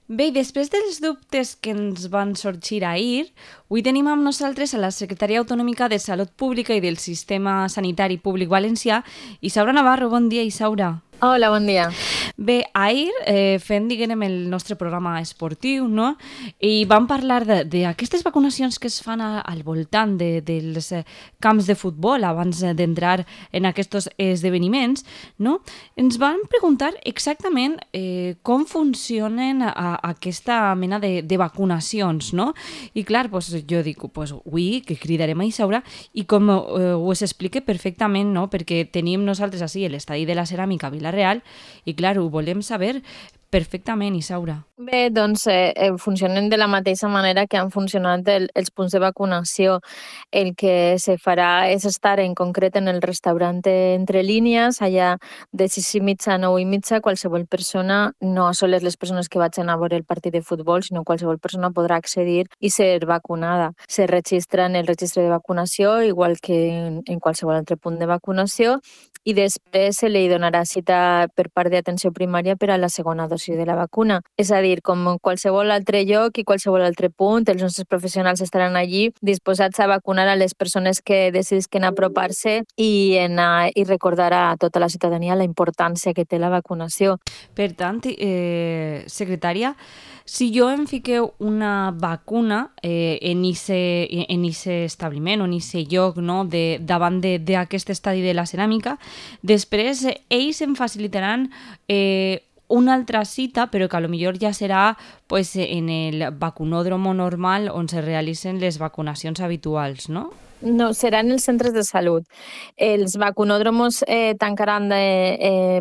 Bé, i després dels dubtes que ens van sorgir ahir, avui tenim amb nosaltres a la secretària autonòmica de Salut Pública i del Sistema Sanitari Públic Valencià, Isaura Navarro. Bon dia, Isaura. Hola, bon dia. Bé, ahir fent, diguem, el nostre programa esportiu, no? I vam parlar d'aquestes vacunacions que es fan al voltant dels camps de futbol abans d'entrar en aquests esdeveniments, no? Ens van preguntar exactament com funcionen aquesta mena de vacunacions, no? I clar, pues, jo dic, pues, avui que cridarem a Isaura i com ho explique perfectament, no? Perquè tenim nosaltres així l'estadi de la ceràmica a Vila-real i clar, ho volem saber perfectament, Isaura. Bé, doncs funcionen de la mateixa manera que han funcionat els punts de vacunació. El que se farà és estar en concret en el restaurant Entre Línies, allà de 6:30 a 9:30, qualsevol persona, no sols les persones que vagin a veure el partit de futbol, sinó qualsevol persona podrà accedir i ser vacunada. Se registra en el registre de vacunació, igual que en qualsevol altre punt de vacunació, i després se li donarà cita per part d'atenció primària per a la segona dosi de la vacuna. És a dir, com en qualsevol altre lloc i qualsevol altre punt, els nostres professionals estaran allí disposats a vacunar a les persones que decidisquen apropar-se i recordar a tota la ciutadania la importància que té la vacunació. Per tant, secretària, si jo em fiqueu una vacuna en aquest establiment o en aquest lloc, no, davant d'aquest estadi de la ceràmica, després ells em facilitaran una altra cita, però que potser ja serà pues, en el vacunòdromo normal on se realitzen les vacunacions habituals, no? No, seran els centres de salut. Els vacunòdromos tancaran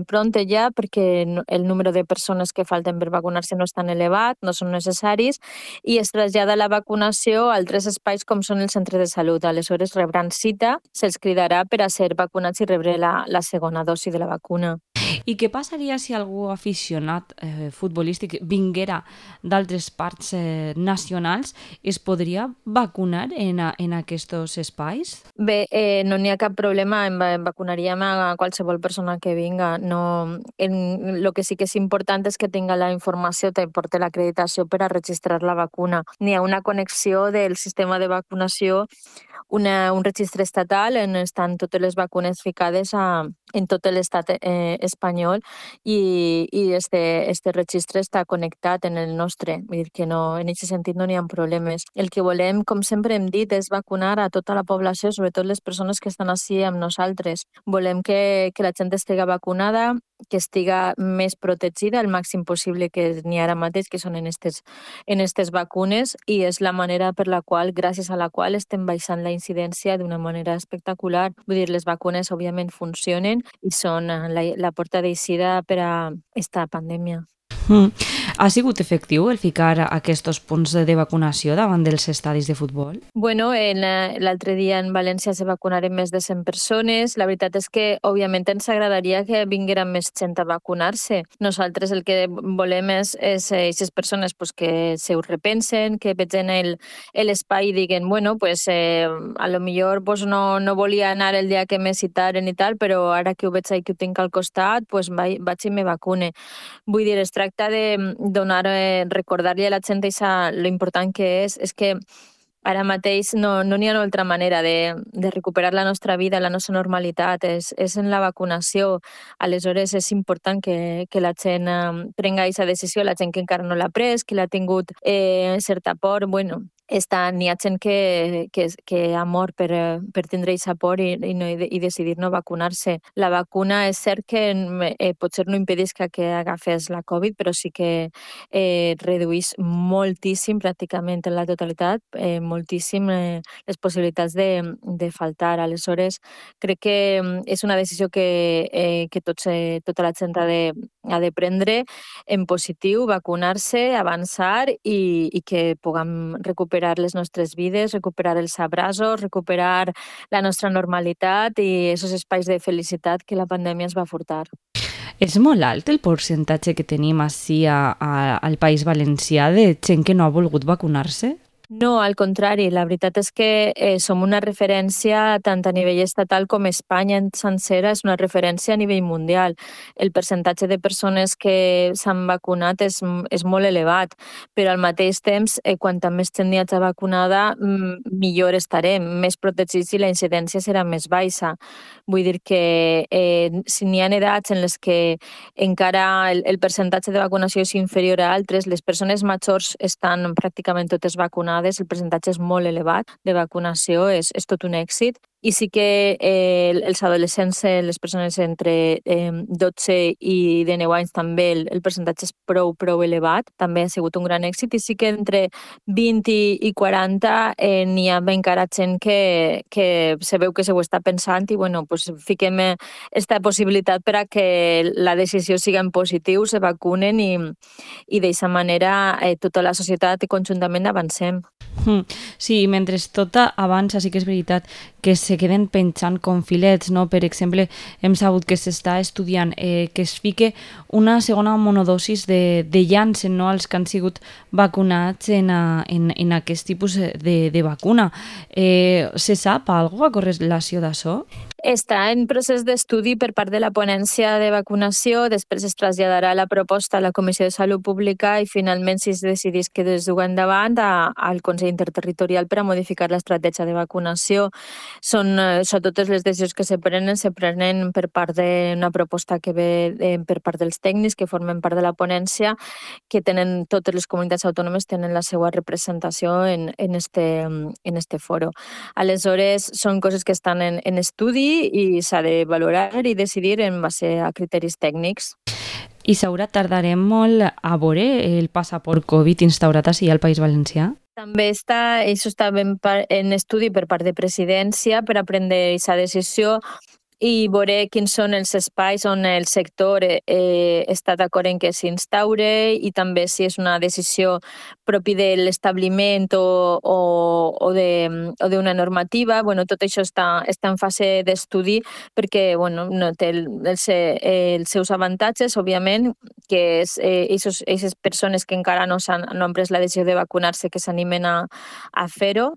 pront ja perquè el número de persones que falten per vacunar-se no és tan elevat, no són necessaris, i es trasllada la vacunació a altres espais com són els centres de salut. Aleshores rebran cita, se'ls cridarà per a ser vacunats i rebre la segona dosi de la vacuna. I què passaria si algú aficionat futbolístic vinguera d'altres parts nacionals? Es podria vacunar en aquests espais? Bé, no n'hi ha cap problema, vacunaríem a qualsevol persona que vinga. No, lo que sí que és important és que tinga la informació, te porte l'acreditació per a registrar la vacuna. N'hi ha una connexió del sistema de vacunació, un registre estatal on estan totes les vacunes ficades en tot l'estat espanyol i este registre està connectat en el nostre. Vull dir que no, en aquest sentit no n'hi ha problemes. El que volem, com sempre hem dit, és vacunar a tota la població, sobretot les persones que estan així amb nosaltres. Volem que la gent estigui vacunada, que estiga més protegida el màxim possible que n'hi ha ara mateix, que són en estes vacunes, i és la manera per la qual, gràcies a la qual, estem baixant la incidència d'una manera espectacular. Vull dir, les vacunes, òbviament, funcionen i són la porta d'eixida per a esta pandèmia. Ha sigut efectiu el ficar aquests punts de vacunació davant dels estadis de futbol? Bueno, l'altre dia en València se vacunaren més de 100 persones. La veritat és que, òbviament, ens agradaria que vingueren més gent a vacunar-se. Nosaltres el que volem és aquestes persones pues, que se ho repensen, que vegin l'espai i diguen, bueno, pues, a lo millor pues, no volia anar el dia que me citaren i tal, però ara que ho veig que ho tinc al costat, pues, vaig i me vacune. Vull dir, es tracta de donar, recordar-li a la gent lo important que és que ara mateix no n'hi ha una altra manera de recuperar la nostra vida, la nostra normalitat, és en la vacunació. Aleshores és important que la gent prenga aquesta decisió, la gent que encara no l'ha pres, que l'ha tingut certa por, bueno, n'hi ha gent que ha mort per tindre aquesta por i decidir no vacunar-se. La vacuna és cert que potser no impedeix que agafes la Covid, però sí que reduís moltíssim, pràcticament en la totalitat, moltíssim les possibilitats de faltar. Aleshores, crec que és una decisió que tota la gent ha de prendre en positiu, vacunar-se, avançar i que puguem recuperar les nostres vides, recuperar els abraços, recuperar la nostra normalitat i aquests espais de felicitat que la pandèmia ens va furtar. És molt alt el percentatge que tenim així al País Valencià de gent que no ha volgut vacunar-se? No, al contrari, la veritat és que som una referència tant a nivell estatal com Espanya en sencera és una referència a nivell mundial. El percentatge de persones que s'han vacunat és molt elevat, però al mateix temps, quanta més gent hi hagi vacunada, millor estarem, més protegits i la incidència serà més baixa. Vull dir que si n'hi ha edats en les que encara el percentatge de vacunació és inferior a altres, les persones majors estan pràcticament totes vacunades, el percentatge és molt elevat de vacunació, és tot un èxit. I sí que els adolescents, les persones entre 12 i 19 anys també el percentatge és prou elevat, també ha sigut un gran èxit, i sí que entre 20 i 40 n'hi ha encara gent que se veu que se ho està pensant i bueno, pues fiquem esta possibilitat per a que la decisió siga en positiu, se vacunen i d'aquesta manera tota la societat i conjuntament avancem. Sí, mentre tot avança, sí que és veritat que se queden penjant com filets, no? Per exemple, hem sabut que s'està estudiant que es fique una segona monodosis de Janssen, no? Els que han sigut vacunats en aquest tipus de vacuna. Se sap alguna cosa a correlació d'això? Està en procés d'estudi per part de la ponència de vacunació, després es traslladarà la proposta a la Comissió de Salut Pública i finalment, si es decidís que es duga endavant, al Consell Interterritorial per a modificar l'estratègia de vacunació. Són totes les decisions que se prenen per part d'una proposta que ve per part dels tècnics que formen part de la ponència, que tenen totes les comunitats autònomes tenen la seva representació en este foro. Aleshores, són coses que estan en estudi i s'ha de valorar i decidir en base a criteris tècnics. I Saura, tardarem molt a veure el passaport Covid instaurat així al País Valencià? També això està en estudi per part de presidència per a prendre aquesta decisió i veure quins són els espais on el sector està d'acord en que s'instaure i també si és una decisió propi de l'establiment o d'una normativa. Bueno, tot això està en fase d'estudi perquè no té els seus avantatges, òbviament, que és aquestes persones que encara no han pres la decisió de vacunar-se que s'animen a fer-ho.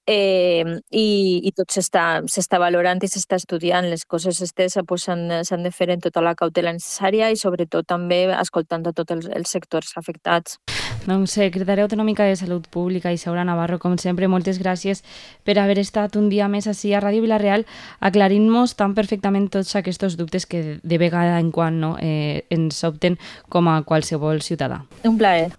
I tot s'està valorant i s'està estudiant. Les coses s'han de fer en tota la cautela necessària i sobretot també escoltant a tots els sectors afectats. Doncs, secretària autonòmica de Salut Pública, Isaura Navarro, com sempre, moltes gràcies per haver estat un dia més així a Ràdio Vila-real aclarint-nos tan perfectament tots aquests dubtes que de vegada en quan ens sobten com a qualsevol ciutadà. Un plaer.